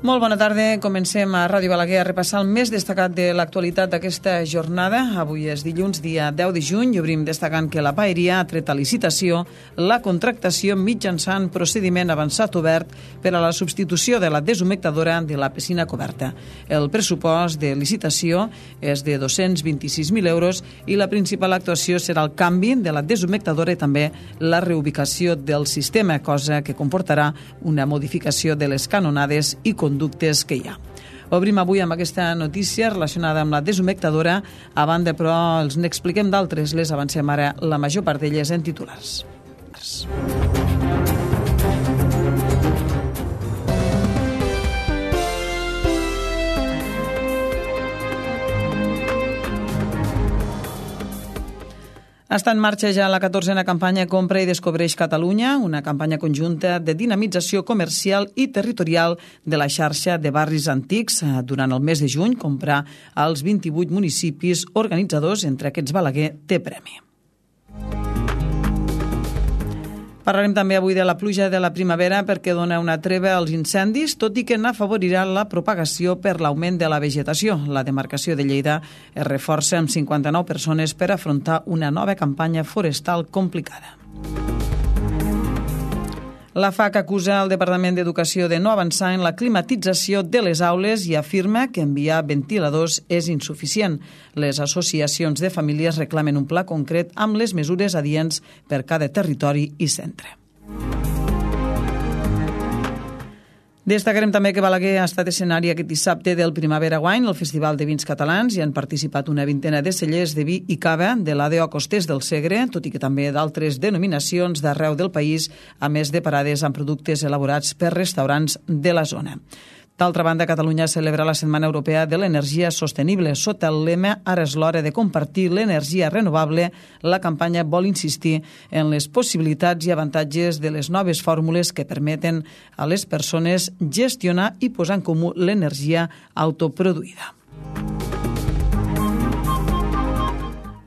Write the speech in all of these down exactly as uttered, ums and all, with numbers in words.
Molt bona tarda. Comencem a Ràdio Balaguer a repassar el més destacat de l'actualitat d'aquesta jornada. Avui és dilluns, dia deu de juny, i obrim destacant que la Paeria ha tret a licitació la contractació mitjançant procediment avançat obert per a la substitució de la deshumectadora de la piscina coberta. El pressupost de licitació és de dos-cents vint-i-sis mil euros i la principal actuació serà el canvi de la deshumectadora i també la reubicació del sistema, cosa que comportarà una modificació de les canonades i conductes que hi ha. Obrim avui amb aquesta notícia relacionada amb la deshumectadora. A banda, però, els n'expliquem d'altres. Les avancem ara, la major part d'elles en titulars. Està en marxa ja la catorzena campanya Compra i Descobreix Catalunya, una campanya conjunta de dinamització comercial i territorial de la xarxa de barris antics. Durant el mes de juny, comprar als vint-i-vuit municipis organitzadors, entre aquests Balaguer, té premi. Parlarem també avui de la pluja de la primavera perquè dona una treva als incendis, tot i que n'afavorirà la propagació per l'augment de la vegetació. La demarcació de Lleida es reforça amb cinquanta-nou persones per afrontar una nova campanya forestal complicada. La F A C acusa el Departament d'Educació de no avançar en la climatització de les aules i afirma que enviar ventiladors és insuficient. Les associacions de famílies reclamen un pla concret amb les mesures adients per cada territori i centre. Destacarem també que Balaguer ha estat escenari aquest dissabte del Primavera Wine, el Festival de Vins Catalans, i han participat una vintena de cellers de vi i cava de l'A D O Costers del Segre, tot i que també d'altres denominacions d'arreu del país, a més de parades amb productes elaborats per restaurants de la zona. D'altra banda, Catalunya celebra la Setmana Europea de l'Energia Sostenible. Sota el lema "Ara és l'hora de compartir l'energia renovable", la campanya vol insistir en les possibilitats i avantatges de les noves fórmules que permeten a les persones gestionar i posar en comú l'energia autoproduïda.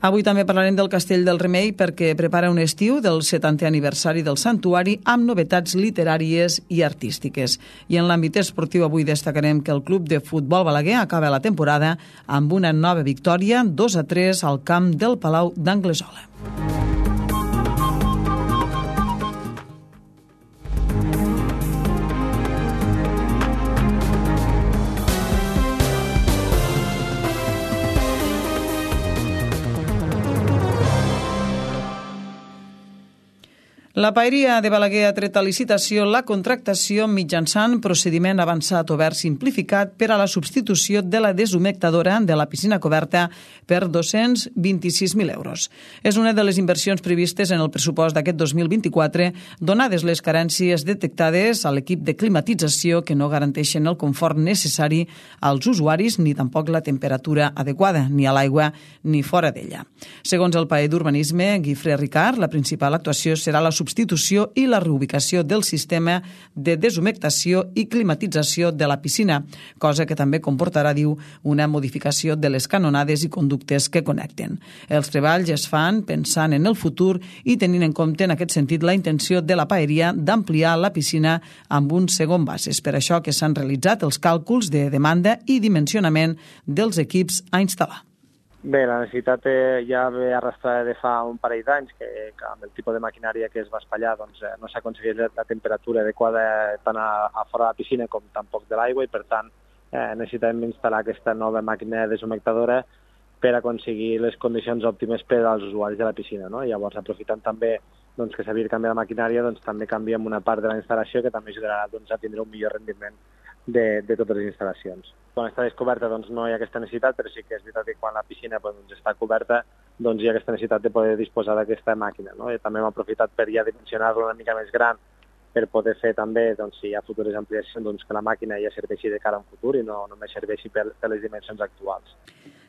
Avui també parlarem del Castell del Remei perquè prepara un estiu del setantè aniversari del santuari amb novetats literàries i artístiques. I en l'àmbit esportiu avui destacarem que el Club de Futbol Balaguer acaba la temporada amb una nova victòria, dos a tres al camp del Palau d'Anglesola. La Paeria de Balaguer ha tret a licitació la contractació mitjançant procediment avançat obert simplificat per a la substitució de la deshumectadora de la piscina coberta per dos-cents vint-i-sis mil euros. És una de les inversions previstes en el pressupost d'aquest dos mil vint-i-quatre, donades les carències detectades a l'equip de climatització que no garanteixen el confort necessari als usuaris ni tampoc la temperatura adequada, ni a l'aigua ni fora d'ella. Segons el paer d'Urbanisme, Guifré Ricard, la principal actuació serà la substitució substitució i la reubicació del sistema de deshumectació i climatització de la piscina, cosa que també comportarà, diu, una modificació de les canonades i conductes que connecten. Els treballs es fan pensant en el futur i tenint en compte en aquest sentit la intenció de la Paeria d'ampliar la piscina amb un segon base. És per això que s'han realitzat els càlculs de demanda i dimensionament dels equips a instal·lar. Bé, la necessitat eh, ja ve arrastrada de fa un parell d'anys, que, que amb el tipus de maquinària que es va espatllar doncs, eh, no s'ha aconseguit la, la temperatura adequada tant a, a fora de la piscina com tampoc de l'aigua i, per tant, eh, necessitem instal·lar aquesta nova màquina deshumectadora per aconseguir les condicions òptimes per als usuaris de la piscina. No? Llavors, aprofitant també doncs, que s'havia de canviar la maquinària, doncs, també canviem una part de la instal·lació que també ajudarà doncs, a tindre un millor rendiment de, de totes les instal·lacions. Quan està descoberta doncs, no hi ha aquesta necessitat, però sí que és veritat que quan la piscina doncs, està coberta doncs, hi ha aquesta necessitat de poder disposar d'aquesta màquina. No? I també hem aprofitat per ja dimensionar-la una mica més gran per poder fer també, doncs, si hi ha futures ampliacions, doncs, que la màquina ja serveixi de cara a un futur i no només serveixi per, per les dimensions actuals.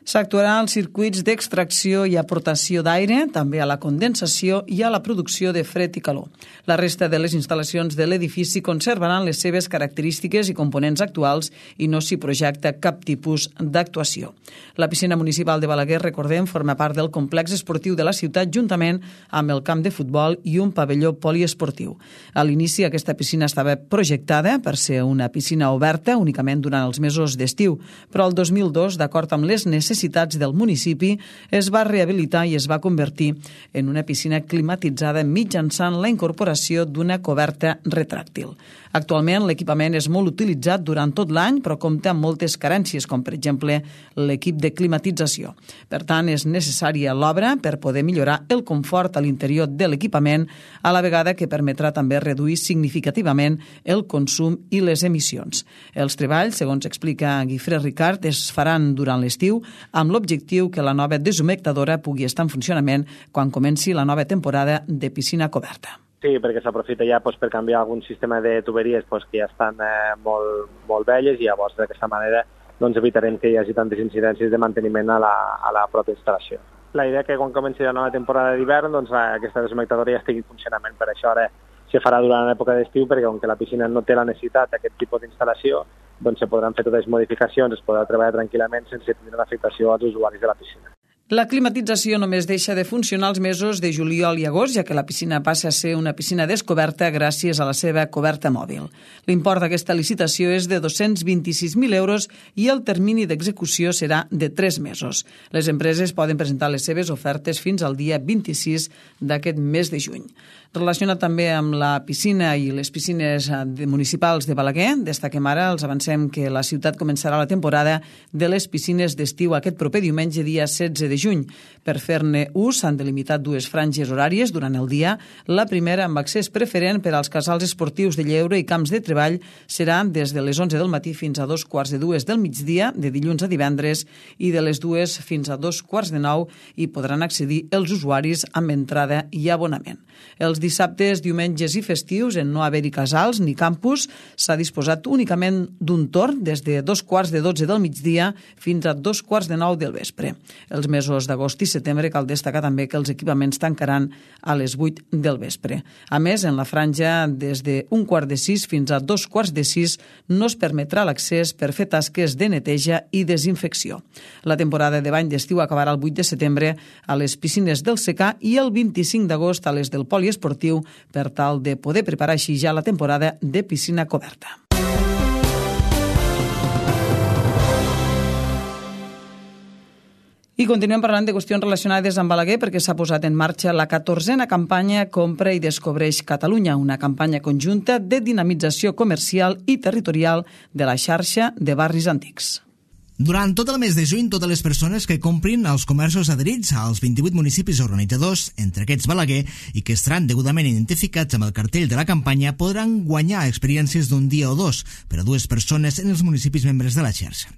S'actuarà als circuits d'extracció i aportació d'aire, també a la condensació i a la producció de fred i calor. La resta de les instal·lacions de l'edifici conservaran les seves característiques i components actuals i no s'hi projecta cap tipus d'actuació. La piscina municipal de Balaguer, recordem, forma part del complex esportiu de la ciutat juntament amb el camp de futbol i un pavelló poliesportiu. A l'inici, aquesta piscina estava projectada per ser una piscina oberta únicament durant els mesos d'estiu, però el dos mil dos, d'acord amb les necessitats necessitats del municipi, es va rehabilitar i es va convertir en una piscina climatitzada mitjançant la incorporació d'una coberta retràctil. Actualment, l'equipament és molt utilitzat durant tot l'any, però compta amb moltes carències, com per exemple l'equip de climatització. Per tant, és necessària l'obra per poder millorar el confort a l'interior de l'equipament, a la vegada que permetrà també reduir significativament el consum i les emissions. Els treballs, segons explica Guifré Ricard, es faran durant l'estiu amb l'objectiu que la nova deshumectadora pugui estar en funcionament quan comenci la nova temporada de piscina coberta. Sí, perquè s'aprofita ja doncs, per canviar algun sistema de tuberies doncs, que ja estan eh, molt, molt velles i llavors d'aquesta manera doncs, evitarem que hi hagi tantes incidències de manteniment a la, a la pròpia instal·lació. La idea que quan comenci la nova temporada d'hivern doncs, aquesta deshumectadora ja estigui en funcionament. Per això ara se farà durant l'època d'estiu perquè com que la piscina no té la necessitat d'aquest tipus d'instal·lació doncs se podran fer totes les modificacions, es podrà treballar tranquil·lament sense tenir l'afectació als usuaris de la piscina. La climatització només deixa de funcionar els mesos de juliol i agost, ja que la piscina passa a ser una piscina descoberta gràcies a la seva coberta mòbil. L'import d'aquesta licitació és de dos-cents vint-i-sis mil euros i el termini d'execució serà de tres mesos. Les empreses poden presentar les seves ofertes fins al dia vint-i-sis d'aquest mes de juny. Relacionat també amb la piscina i les piscines municipals de Balaguer, destaquem ara, els avancem que la ciutat començarà la temporada de les piscines d'estiu aquest proper diumenge, dia setze de juny. Per fer-ne ús s'han delimitat dues franges horàries durant el dia. La primera, amb accés preferent per als casals esportius de lleure i camps de treball, serà des de les onze del matí fins a dos quarts de dues del migdia, de dilluns a divendres, i de les dues fins a dos quarts de nou hi podran accedir els usuaris amb entrada i abonament. Els dissabtes, diumenges i festius, en no haver-hi casals ni campus, s'ha disposat únicament d'un torn des de dos quarts de dotze del migdia fins a dos quarts de nou del vespre. Els mesos d'agost i setembre cal destacar també que els equipaments tancaran a les vuit del vespre. A més, en la franja des d'un quart de sis fins a dos quarts de sis no es permetrà l'accés per fer tasques de neteja i desinfecció. La temporada de bany d'estiu acabarà el vuit de setembre a les piscines del secà i el vint-i-cinc d'agost a les del poliesportiu per tal de poder preparar així ja la temporada de piscina coberta. I continuem parlant de qüestions relacionades amb Balaguer perquè s'ha posat en marxa la catorzena campanya Compra i Descobreix Catalunya, una campanya conjunta de dinamització comercial i territorial de la xarxa de barris antics. Durant tot el mes de juny, totes les persones que comprin als comerços adherits als vint-i-vuit municipis organitzadors, entre aquests Balaguer, i que estaran degudament identificats amb el cartell de la campanya, podran guanyar experiències d'un dia o dos per a dues persones en els municipis membres de la xarxa.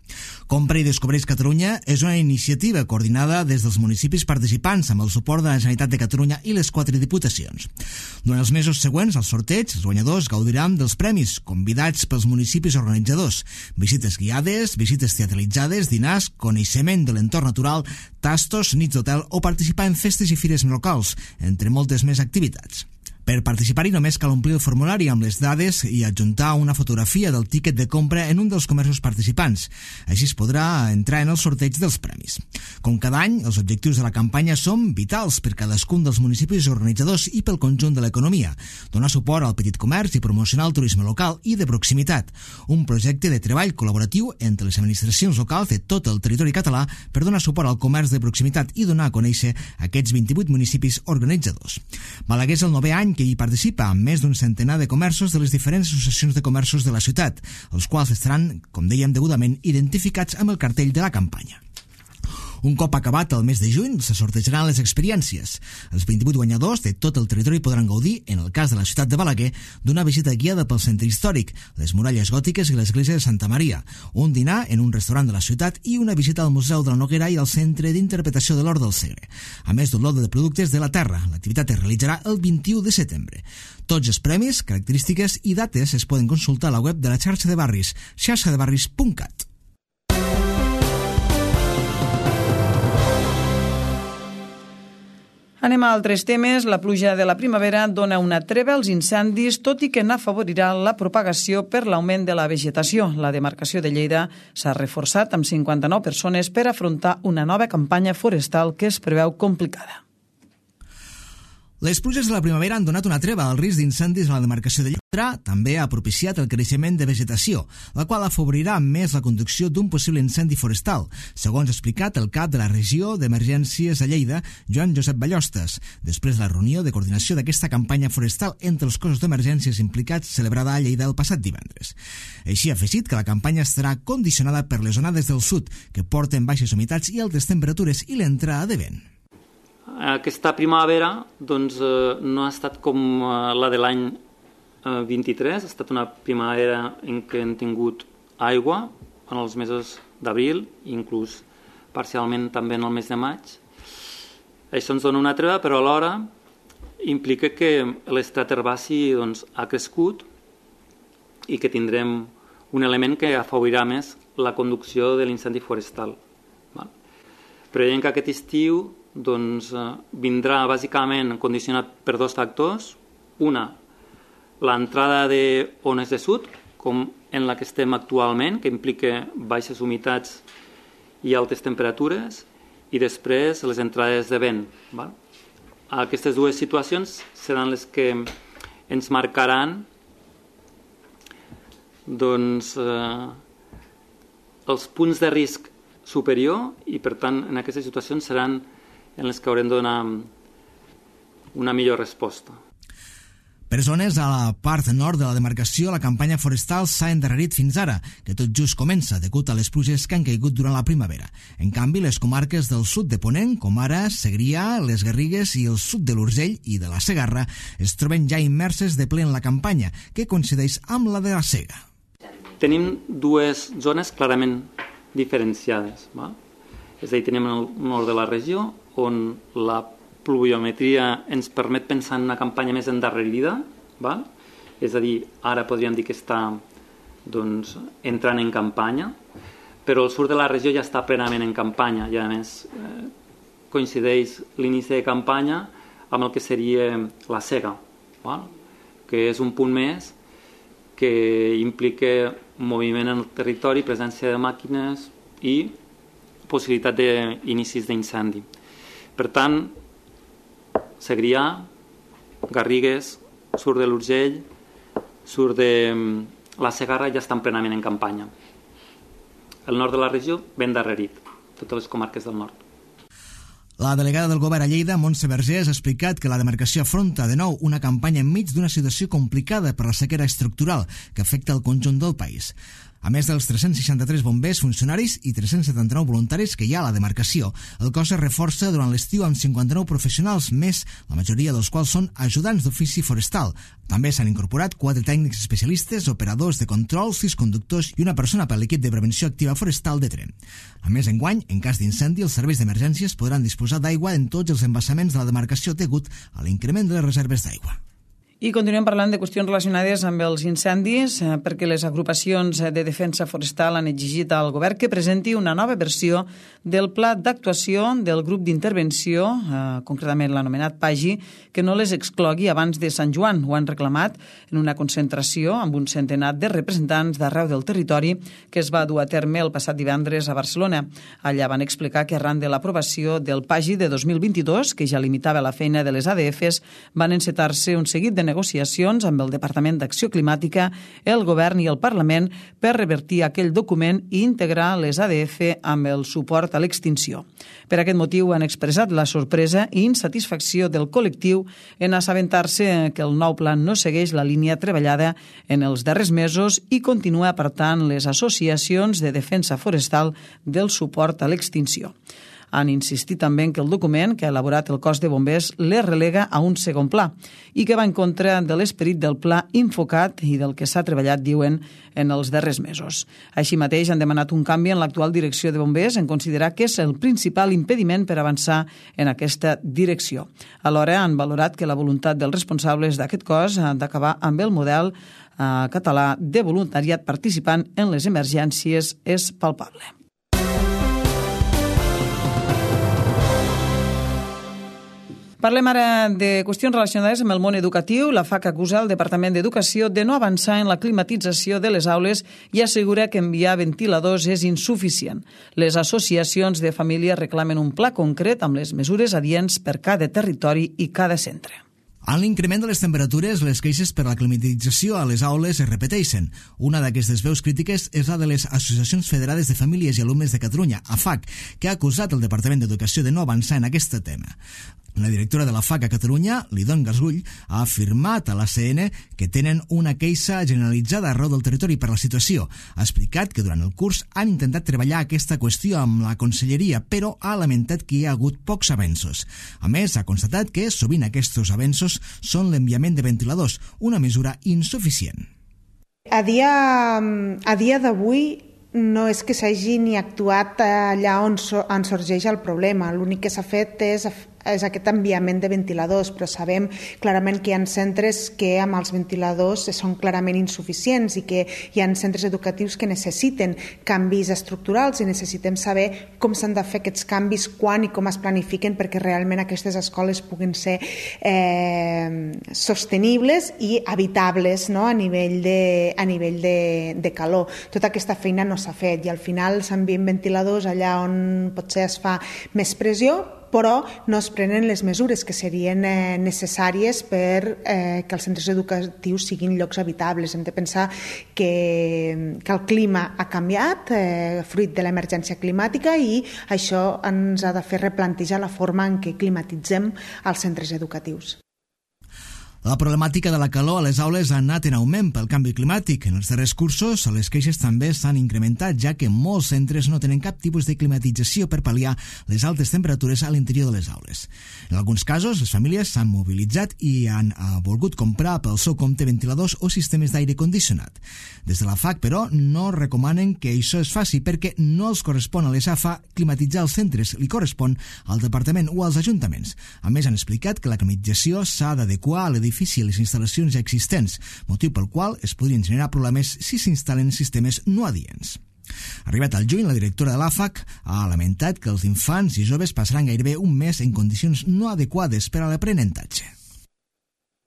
Compra i Descobreix Catalunya és una iniciativa coordinada des dels municipis participants amb el suport de la Generalitat de Catalunya i les quatre diputacions. Durant els mesos següents, al sorteig, els guanyadors gaudiran dels premis convidats pels municipis organitzadors, visites guiades, visites teatralitzades, dinars, coneixement de l'entorn natural, tastos, nits d'hotel o participar en festes i fires locals, entre moltes més activitats. Per participar-hi només cal omplir el formulari amb les dades i adjuntar una fotografia del tíquet de compra en un dels comerços participants. Així es podrà entrar en el sorteig dels premis. Com cada any, els objectius de la campanya són vitals per cadascun dels municipis organitzadors i pel conjunt de l'economia. Donar suport al petit comerç i promocionar el turisme local i de proximitat. Un projecte de treball col·laboratiu entre les administracions locals de tot el territori català per donar suport al comerç de proximitat i donar a conèixer aquests vint-i-vuit municipis organitzadors. Balaguer és el novè any que hi participa amb més d'un centenar de comerços de les diferents associacions de comerços de la ciutat, els quals estaran, com dèiem, degudament identificats amb el cartell de la campanya. Un cop acabat el mes de juny, se sortejaran les experiències. Els vint-i-vuit guanyadors de tot el territori podran gaudir, en el cas de la ciutat de Balaguer, d'una visita guiada pel centre històric, les muralles gòtiques i l'església de Santa Maria, un dinar en un restaurant de la ciutat i una visita al Museu de la Noguera i al Centre d'Interpretació de l'Hort del Segre. A més d'un lot de productes de la terra, l'activitat es realitzarà el vint-i-u de setembre. Tots els premis, característiques i dates es poden consultar a la web de la xarxa de barris, xarxa de barris punt cat. Anem a altres temes. La pluja de la primavera dona una treva als incendis, tot i que n'afavorirà la propagació per l'augment de la vegetació. La demarcació de Lleida s'ha reforçat amb cinquanta-nou persones per afrontar una nova campanya forestal que es preveu complicada. Les pluges de la primavera han donat una treva al risc d'incendis a la demarcació de Lleida. També ha propiciat el creixement de vegetació, la qual afavorirà més la conducció d'un possible incendi forestal, segons ha explicat el cap de la regió d'emergències a Lleida, Joan Josep Ballostes, després de la reunió de coordinació d'aquesta campanya forestal entre els cossos d'emergències implicats celebrada a Lleida el passat divendres. Així ha afegit que la campanya estarà condicionada per les onades del sud, que porten baixes humitats i altes temperatures, i l'entrada de vent. Aquesta primavera doncs, eh, no ha estat com eh, la de l'any eh, vint-i-tres, ha estat una primavera en què hem tingut aigua en els mesos d'abril, inclús parcialment també en el mes de maig. Això ens dona una treva, però alhora implica que l'estrat herbaci doncs, ha crescut i que tindrem un element que afavorirà més la conducció de l'incendi forestal. Val? Preveiem que aquest estiu doncs, vindrà bàsicament condicionat per dos factors. Una, l'entrada d'ones de sud, com en la que estem actualment, que implica baixes humitats i altes temperatures, i després les entrades de vent. Val? Aquestes dues situacions seran les que ens marcaran doncs, eh, els punts de risc superior, i per tant en aquestes situacions seran en les que haurem de donar una millor resposta. Per zones a la part nord de la demarcació, la campanya forestal s'ha endarrerit fins ara, que tot just comença, degut a les pluges que han caigut durant la primavera. En canvi, les comarques del sud de Ponent, com ara Segrià, les Garrigues i el sud de l'Urgell i de la Segarra, es troben ja immerses de ple en la campanya, que coincideix amb la de la Sega. Tenim dues zones clarament diferenciades. Va? És a dir, tenim el nord de la regió, on la pluviometria ens permet pensar en una campanya més endarrerida, val? És a dir, ara podríem dir que està doncs, entrant en campanya, però el sud de la regió ja està plenament en campanya i a més eh, coincideix l'inici de campanya amb el que seria la sega, val? Que és un punt més que implica moviment en el territori, presència de màquines i possibilitat d'inicis d'incendi. Per tant, Segrià, Garrigues, sud de l'Urgell, sud de la Segarra ja estan plenament en campanya. El nord de la regió ben darrerit, totes les comarques del nord. La delegada del govern a Lleida, Montse Vergés, ha explicat que la demarcació afronta de nou una campanya enmig d'una situació complicada per la sequera estructural que afecta el conjunt del país. A més dels tres-cents seixanta-tres bombers funcionaris i tres-cents setanta-nou voluntaris que hi ha a la demarcació, el cos es reforça durant l'estiu amb cinquanta-nou professionals més, la majoria dels quals són ajudants d'ofici forestal. També s'han incorporat quatre tècnics especialistes, operadors de control, sis conductors i una persona per l'equip de prevenció activa forestal de Tremp. A més, enguany, en cas d'incendi, els serveis d'emergències podran disposar d'aigua en tots els embassaments de la demarcació degut a l'increment de les reserves d'aigua. I continuem parlant de qüestions relacionades amb els incendis, perquè les agrupacions de defensa forestal han exigit al govern que presenti una nova versió del pla d'actuació del grup d'intervenció, eh, concretament l'anomenat PAGI, que no les exclogui abans de Sant Joan. Ho han reclamat en una concentració amb un centenar de representants d'arreu del territori que es va dur a terme el passat divendres a Barcelona. Allà van explicar que arran de l'aprovació del PAGI de dos mil vint-i-dos, que ja limitava la feina de les A D Fs, van encetar-se un seguit de negociacions amb el Departament d'Acció Climàtica, el Govern i el Parlament per revertir aquell document i integrar les A D F amb el suport a l'extinció. Per aquest motiu han expressat la sorpresa i insatisfacció del col·lectiu en assabentar-se que el nou pla no segueix la línia treballada en els darrers mesos i continua apartant les associacions de defensa forestal del suport a l'extinció. Han insistit també en que el document que ha elaborat el cos de bombers les relega a un segon pla i que va en contra de l'esperit del pla Infocat i del que s'ha treballat, diuen, en els darrers mesos. Així mateix han demanat un canvi en l'actual direcció de bombers en considerar que és el principal impediment per avançar en aquesta direcció. Alhora han valorat que la voluntat dels responsables d'aquest cos d'acabar amb el model eh, català de voluntariat participant en les emergències és palpable. Parlem ara de qüestions relacionades amb el món educatiu. La FAC acusa el Departament d'Educació de no avançar en la climatització de les aules i assegura que enviar ventiladors és insuficient. Les associacions de famílies reclamen un pla concret amb les mesures adients per cada territori i cada centre. En l'increment de les temperatures, les queixes per la climatització a les aules es repeteixen. Una d'aquestes veus crítiques és la de les Associacions Federades de Famílies i Alumnes de Catalunya, A F A C, que ha acusat el Departament d'Educació de no avançar en aquest tema. La directora de la F A C a Catalunya, Lidon Gasgull, ha afirmat a l'A C N que tenen una queixa generalitzada arreu del territori per la situació. Ha explicat que durant el curs han intentat treballar aquesta qüestió amb la Conselleria, però ha lamentat que hi ha hagut pocs avenços. A més, ha constatat que sovint aquests avenços són l'enviament de ventiladors, una mesura insuficient. A dia, a dia d'avui no és que s'hagi ni actuat allà on, so, on sorgeix el problema. L'únic que s'ha fet és és aquest enviament de ventiladors, però sabem clarament que hi ha centres que amb els ventiladors són clarament insuficients i que hi ha centres educatius que necessiten canvis estructurals i necessitem saber com s'han de fer aquests canvis, quan i com es planifiquen perquè realment aquestes escoles puguin ser eh, sostenibles i habitables, no? a nivell, de, a nivell de, de calor. Tota aquesta feina no s'ha fet i al final s'envien ventiladors allà on potser es fa més pressió, però no es prenen les mesures que serien eh, necessàries per eh, que els centres educatius siguin llocs habitables. Hem de pensar que, que el clima ha canviat, eh, fruit de l'emergència climàtica, i això ens ha de fer replantejar la forma en què climatitzem els centres educatius. La problemàtica de la calor a les aules ha anat en augment pel canvi climàtic. En els darrers cursos, les queixes també s'han incrementat, ja que molts centres no tenen cap tipus de climatització per pal·liar les altes temperatures a l'interior de les aules. En alguns casos, les famílies s'han mobilitzat i han volgut comprar pel seu compte ventiladors o sistemes d'aire condicionat. Des de la F A C, però, no recomanen que això es faci perquè no els correspon a les A F A climatitzar els centres, li correspon al Departament o als ajuntaments. A més, han explicat que la climatització s'ha d'adequar a l'edifici i les instal·lacions ja existents, motiu pel qual es podrien generar problemes si s'instal·len sistemes no adients. Arribat al juny, la directora de l'A F A C ha lamentat que els infants i joves passaran gairebé un mes en condicions no adequades per a l'aprenentatge.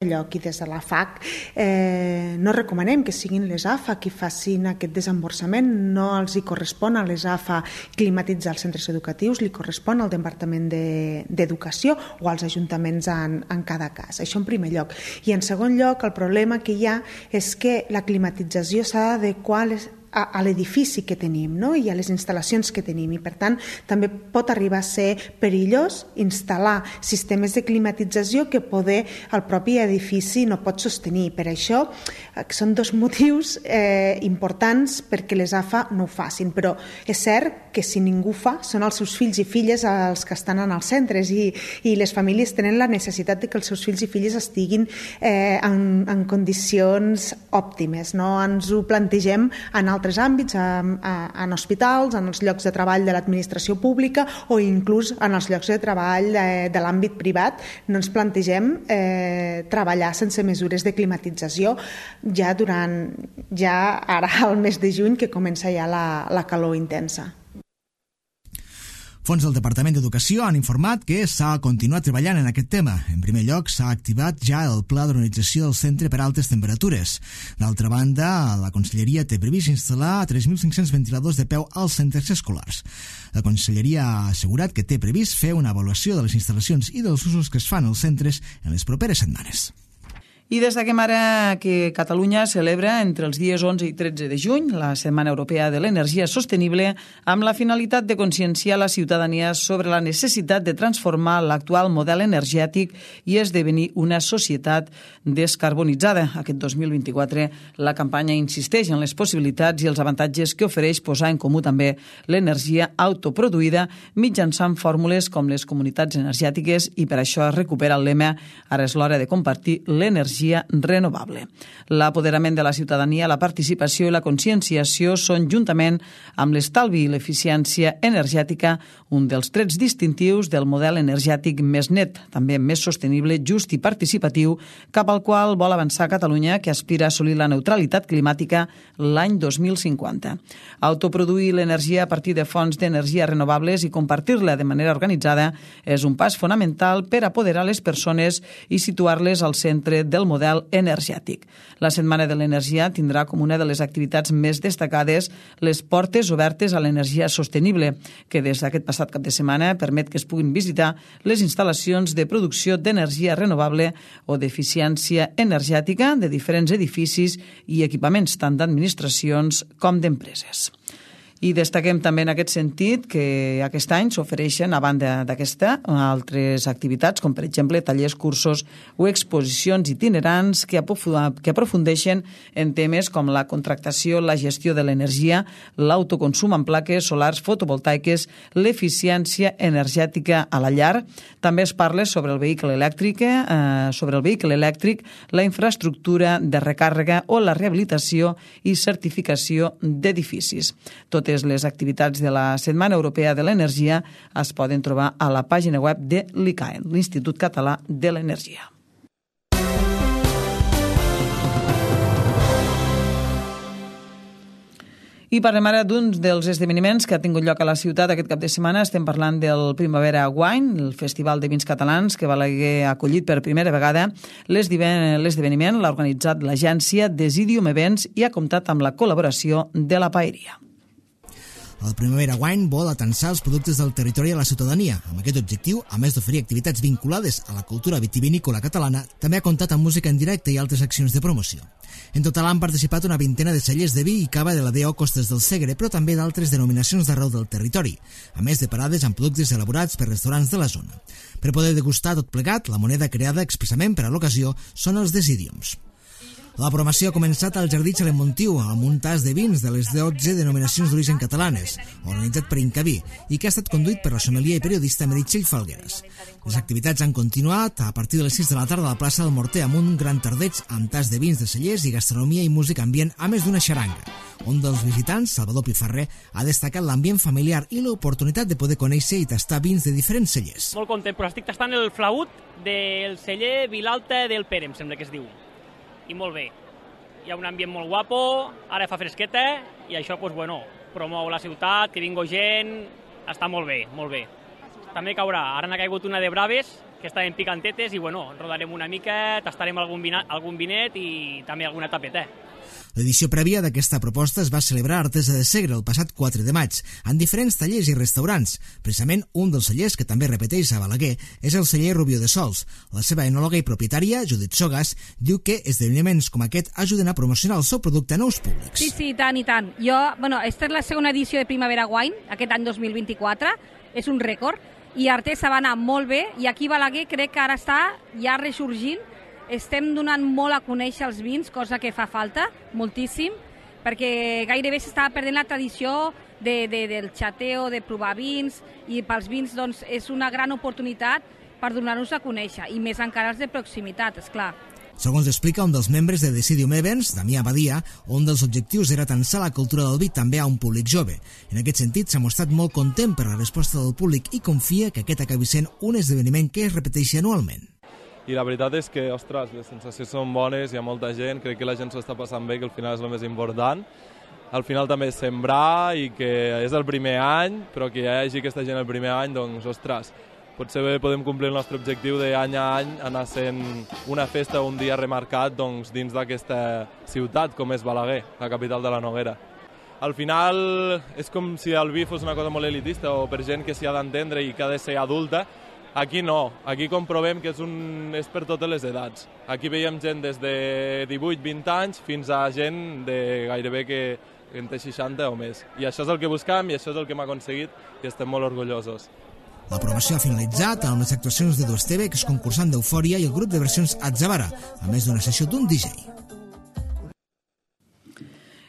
Lloc i des de la F A C eh, no recomanem que siguin les A F A qui facin aquest desemborsament, no els hi correspon a les A F A climatitzar els centres educatius, li correspon al Departament d'Educació o als ajuntaments en, en cada cas. Això en primer lloc. I en segon lloc, el problema que hi ha és que la climatització s'ha d'adequar a les a, a l'edifici que tenim, no? I a les instal·lacions que tenim, i per tant també pot arribar a ser perillós instal·lar sistemes de climatització que poder el propi edifici no pot sostenir. Per això eh, són dos motius eh, importants perquè les A F A no ho facin, però és cert que si ningú fa són els seus fills i filles els que estan en els centres, i, i les famílies tenen la necessitat de que els seus fills i filles estiguin eh, en, en condicions òptimes, no? Ens ho plantegem en altres àmbits, en, en hospitals, en els llocs de treball de l'administració pública o inclús en els llocs de treball de, de l'àmbit privat. No ens plantegem eh, treballar sense mesures de climatització ja durant, ja ara al mes de juny, que comença ja la, la calor intensa. Fons del Departament d'Educació han informat que s'ha continuat treballant en aquest tema. En primer lloc, s'ha activat ja el pla d'organització del centre per altes temperatures. D'altra banda, la Conselleria té previst instal·lar tres mil cinc-cents ventiladors de peu als centres escolars. La Conselleria ha assegurat que té previst fer una avaluació de les instal·lacions i dels usos que es fan als centres en les properes setmanes. I destaquem ara que Catalunya celebra entre els dies onze i tretze de juny la Setmana Europea de l'Energia Sostenible amb la finalitat de conscienciar la ciutadania sobre la necessitat de transformar l'actual model energètic i esdevenir una societat descarbonitzada. Aquest dos mil vint-i-quatre la campanya insisteix en les possibilitats i els avantatges que ofereix posar en comú també l'energia autoproduïda mitjançant fórmules com les comunitats energètiques, i per això es recupera el lema "Ara és l'hora de compartir l'energia l'energia renovable. L'apoderament de la ciutadania, la participació i la conscienciació són, juntament amb l'estalvi i l'eficiència energètica, un dels trets distintius del model energètic més net, també més sostenible, just i participatiu, cap al qual vol avançar Catalunya, que aspira a assolir la neutralitat climàtica l'any dos mil cinquanta. Autoproduir l'energia a partir de fonts d'energia renovables i compartir-la de manera organitzada és un pas fonamental per apoderar les persones i situar-les al centre del model energètic. La Setmana de l'Energia tindrà com una de les activitats més destacades les portes obertes a l'energia sostenible, que des d'aquest passat cap de setmana permet que es puguin visitar les instal·lacions de producció d'energia renovable o d'eficiència energètica de diferents edificis i equipaments tant d'administracions com d'empreses. I destaquem també en aquest sentit que aquest any s'ofereixen, a banda d'aquesta, altres activitats, com per exemple tallers, cursos o exposicions itinerants que aprofundeixen en temes com la contractació, la gestió de l'energia, l'autoconsum en plaques solars fotovoltaiques, l'eficiència energètica a la llar. També es parla sobre el vehicle elèctric, eh, sobre el vehicle elèctric, la infraestructura de recàrrega o la rehabilitació i certificació d'edificis. Totes les activitats de la Setmana Europea de l'Energia es poden trobar a la pàgina web de l'I C A E, l'Institut Català de l'Energia. I parlem ara d'un dels esdeveniments que ha tingut lloc a la ciutat aquest cap de setmana. Estem parlant del Primavera Wine, el festival de vins catalans que Balaguer ha acollit per primera vegada. L'esdeveniment l'ha organitzat l'agència Desidium Events i ha comptat amb la col·laboració de la Paeria. El Primavera Wine vol atansar els productes del territori a la ciutadania. Amb aquest objectiu, a més d'oferir activitats vinculades a la cultura vitivinícola catalana, també ha comptat amb música en directe i altres accions de promoció. En total han participat una vintena de cellers de vi i cava de la D O Costes del Segre, però també d'altres denominacions d'arreu del territori, a més de parades amb productes elaborats per restaurants de la zona. Per poder degustar tot plegat, la moneda creada expressament per a l'ocasió són els Desidiums. La programació ha començat al Jardí Xalemontiu amb un tas de vins de les dotze denominacions d'origen catalanes, organitzat per Incaví, i que ha estat conduït per la sommelier i periodista Meritxell Falgueras. Les activitats han continuat a partir de les sis de la tarda a la plaça del Morter amb un gran tardeig amb tas de vins de cellers i gastronomia i música ambient, a més d'una xaranga. Un dels visitants, Salvador Pifarrer, ha destacat l'ambient familiar i l'oportunitat de poder conèixer i tastar vins de diferents cellers. Molt content, però estic tastant el flaut del celler Vilalta del Pere, em sembla que es diu. I molt bé. Hi ha un ambient molt guapo, ara fa fresqueta i això, doncs, bueno, promou la ciutat, que vingui gent, està molt bé, molt bé. També caurà, ara n'ha caigut una de braves, que estaven picantetes i, bueno, rodarem una mica, tastarem algun, vina, algun vinet i també alguna tapeta. L'edició prèvia d'aquesta proposta es va celebrar a Artesa de Segre el passat quatre de maig, en diferents tallers i restaurants. Precisament un dels cellers que també repeteix a Balaguer és el celler Rubió de Sols. La seva enòloga i propietària, Judit Sogas, diu que esdeveniments com aquest ajuden a promocionar el seu producte a nous públics. Sí, sí, tant i tant. Jo, bueno, esta és la segona edició de Primavera Wine, aquest any dos mil vint-i-quatre, és un rècord, i Artesa va anar molt bé, i aquí Balaguer crec que ara està ja ressorgint. Estem donant molt a conèixer els vins, cosa que fa falta, moltíssim, perquè gairebé s'estava perdent la tradició de, de, del xateo, de provar vins, i pels vins doncs, és una gran oportunitat per donar-nos a conèixer, i més encara els de proximitat, esclar. Segons explica un dels membres de Desidium Events, Damià Badia, un dels objectius era atansar la cultura del vi també a un públic jove. En aquest sentit, s'ha mostrat molt content per la resposta del públic i confia que aquest acabi sent un esdeveniment que es repeteixi anualment. I la veritat és que, ostres, les sensacions són bones, hi ha molta gent, crec que la gent s'ho està passant bé, que al final és el més important. Al final també és sembrar i que és el primer any, però que hi hagi aquesta gent el primer any, doncs, ostres, potser podem complir el nostre objectiu d'any a any anar sent una festa o un dia remarcat doncs, dins d'aquesta ciutat com és Balaguer, la capital de la Noguera. Al final és com si el vi fos una cosa molt elitista o per gent que s'hi ha d'entendre i que ha de ser adulta. Aquí no, aquí comprovem que és, un, és per totes les edats. Aquí veiem gent des de divuit vint anys fins a gent de gairebé que en té seixanta o més. I això és el que buscam i això és el que hem aconseguit i estem molt orgullosos. La promoció ha finalitzat amb les actuacions de Duesteve, que és concursant d'Eufòria, i el grup de versions Atzavara, a més d'una sessió d'un D J.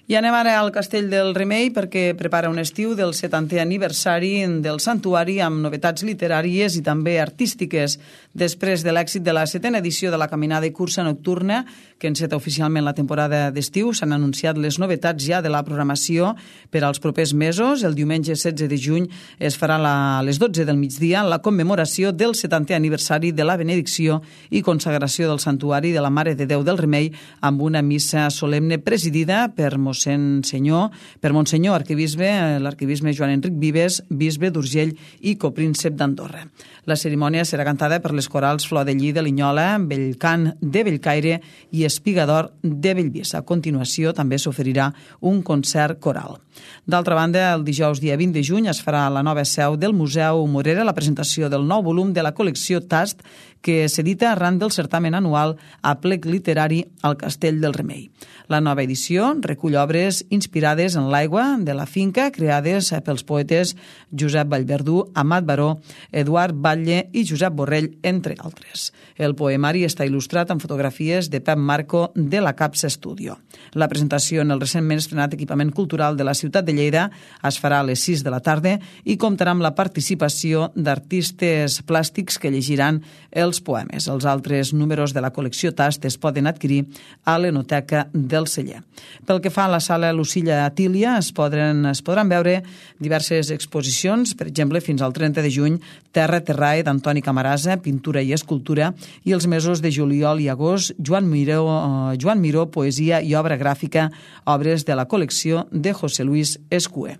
I anem ara al Castell del Remei perquè prepara un estiu del setantè aniversari del santuari amb novetats literàries i també artístiques. Després de l'èxit de la setena edició de la caminada i cursa nocturna, que enceta oficialment la temporada d'estiu, s'han anunciat les novetats ja de la programació per als propers mesos. El diumenge setze de juny es farà a les dotze del migdia la commemoració del setantè aniversari de la benedicció i consagració del santuari de la Mare de Déu del Remei amb una missa solemne presidida per mossèn Senyor, per Monsenyor Arquebisbe, l'arquebisbe Joan Enric Vives, bisbe d'Urgell i copríncep d'Andorra. La cerimònia serà cantada per les corals Flor de Lli de Linyola, Bellcant de Bellcaire i Espigador de Bellvís. A continuació també s'oferirà un concert coral. D'altra banda, el dijous dia vint de juny es farà a la nova seu del Museu Morera la presentació del nou volum de la col·lecció Tast, que s'edita arran del certamen anual Aplec Literari al Castell del Remei. La nova edició recull obres inspirades en l'aigua de la finca, creades pels poetes Josep Vallverdú, Amat Baró, Eduard Batlle i Josep Borrell, entre altres. El poemari està il·lustrat amb fotografies de Pep Marco de la Capsa Studio. La presentació en el recentment estrenat equipament cultural de la ciutat de Lleida es farà a les sis de la tarda i comptarà amb la participació d'artistes plàstics que llegiran els poemes. Els altres números de la col·lecció Tast es poden adquirir a l'Enoteca del Celler. Pel que fa a la sala Lucilla Atília, es podran, es podran veure diverses exposicions, per exemple, fins al trenta de juny, Terra Terrae d'Antoni Camarasa, Pintura i Escultura, i els mesos de juliol i agost, Joan Miró, uh, Joan Miró, Poesia i Obra Gràfica, obres de la col·lecció de José Luis Escué.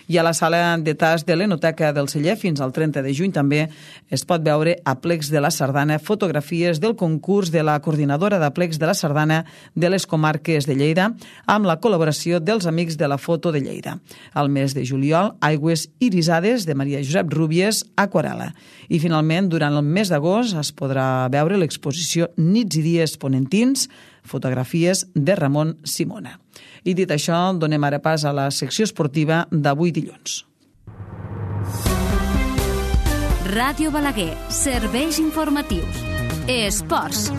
I a la sala de Tast de l'Enoteca del Celler, fins al trenta de juny també es pot veure aplecs de la sardana, fotografies del concurs de la coordinadora d'aplecs de la sardana de les comarques de Lleida, amb la col·laboració dels Amics de la Foto de Lleida. Al mes de juliol, Aigües irisades de Maria Josep Rúbies, aquarel·la. I finalment, durant el mes d'agost es podrà veure l'exposició Nits i dies ponentins, fotografies de Ramon Simona. I dit això, donem ara pas a la secció esportiva d'avui dilluns. Ràdio Balaguer, serveis informatius. Esports.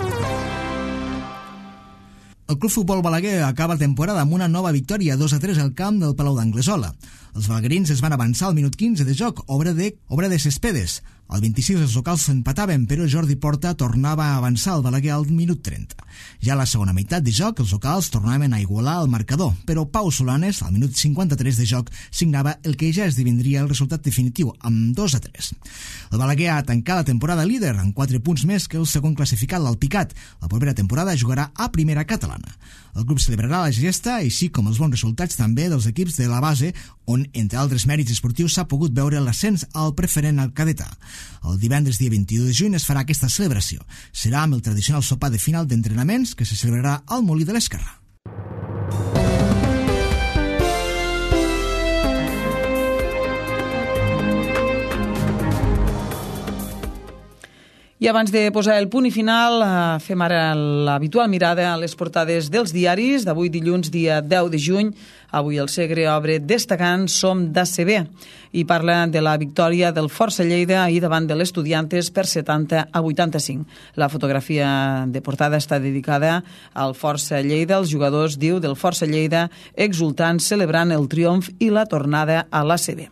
El Club Futbol Balaguer acaba la temporada amb una nova victòria dos a tres al camp del Palau d'Anglesola. Els balaguerins es van avançar al minut quinze de joc, obra de, obra de Cespedes. Al vint-i-sis els locals s'empataven, però Jordi Porta tornava a avançar el Balaguer al minut trenta. Ja a la segona meitat de joc, els locals tornaven a igualar el marcador, però Pau Solanes, al minut cinquanta-tres de joc, signava el que ja esdevindria el resultat definitiu, amb dos a tres. El Balaguer ha tancat la temporada líder, amb quatre punts més que el segon classificat, l'Alpicat. La propera temporada jugarà a primera catalana. El club celebrarà la gesta, així com els bons resultats també dels equips de la base, on, entre altres mèrits esportius, s'ha pogut veure l'ascens al preferent al cadetà. El divendres dia vint-i-u de juny es farà aquesta celebració. Serà amb el tradicional sopar de final d'entrenaments que se celebrarà al Molí de l'Esquerra. I abans de posar el punt i final, fem ara l'habitual mirada a les portades dels diaris d'avui dilluns, dia deu de juny. Avui el Segre obre destacant Som d'A C B i parla de la victòria del Força Lleida ahir davant de l'Estudiantes per setanta a vuitanta-cinc. La fotografia de portada està dedicada al Força Lleida. Els jugadors, diu, del Força Lleida exultant, celebrant el triomf i la tornada a l'A C B.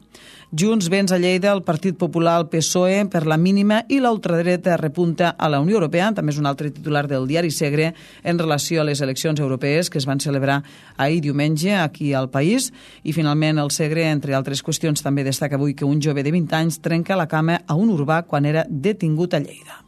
Junts venç a Lleida el Partit Popular, el P S O E per la mínima i l'ultradreta repunta a la Unió Europea. També és un altre titular del diari Segre en relació a les eleccions europees que es van celebrar ahir diumenge aquí al país. I finalment el Segre, entre altres qüestions, també destaca avui que un jove de vint anys trenca la cama a un urbà quan era detingut a Lleida.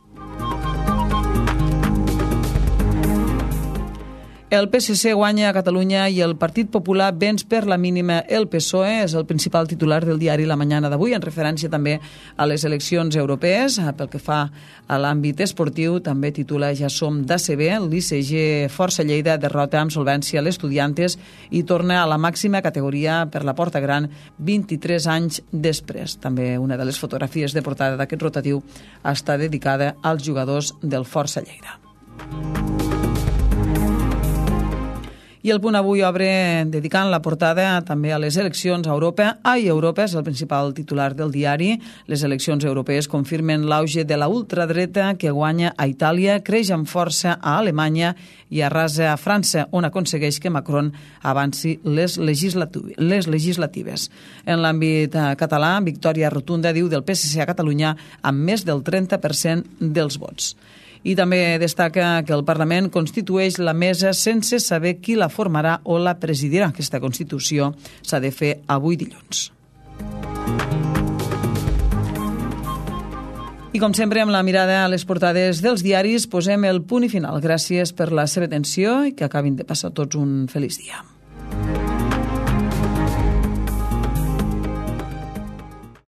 El P S C guanya a Catalunya i el Partit Popular venç per la mínima el P S O E. És el principal titular del diari La Mañana d'avui, en referència també a les eleccions europees. Pel que fa a l'àmbit esportiu, també titula Ja som d'A C B. L'I C G Força Lleida derrota amb solvència l'Estudiantes i torna a la màxima categoria per la porta gran vint-i-tres anys després. També una de les fotografies de portada d'aquest rotatiu està dedicada als jugadors del Força Lleida. I el Punt avui obre dedicant la portada també a les eleccions a Europa. Ai, Europa és el principal titular del diari. Les eleccions europees confirmen l'auge de la ultradreta que guanya a Itàlia, creix amb força a Alemanya i arrasa a França, on aconsegueix que Macron avanci les, legislatives. les legislatives. En l'àmbit català, victòria rotunda, diu, del P S C a Catalunya amb més del trenta per cent dels vots. I també destaca que el Parlament constitueix la mesa sense saber qui la formarà o la presidirà. Aquesta Constitució s'ha de fer avui dilluns. I com sempre, amb la mirada a les portades dels diaris, posem el punt i final. Gràcies per la seva atenció i que acabin de passar tots un feliç dia.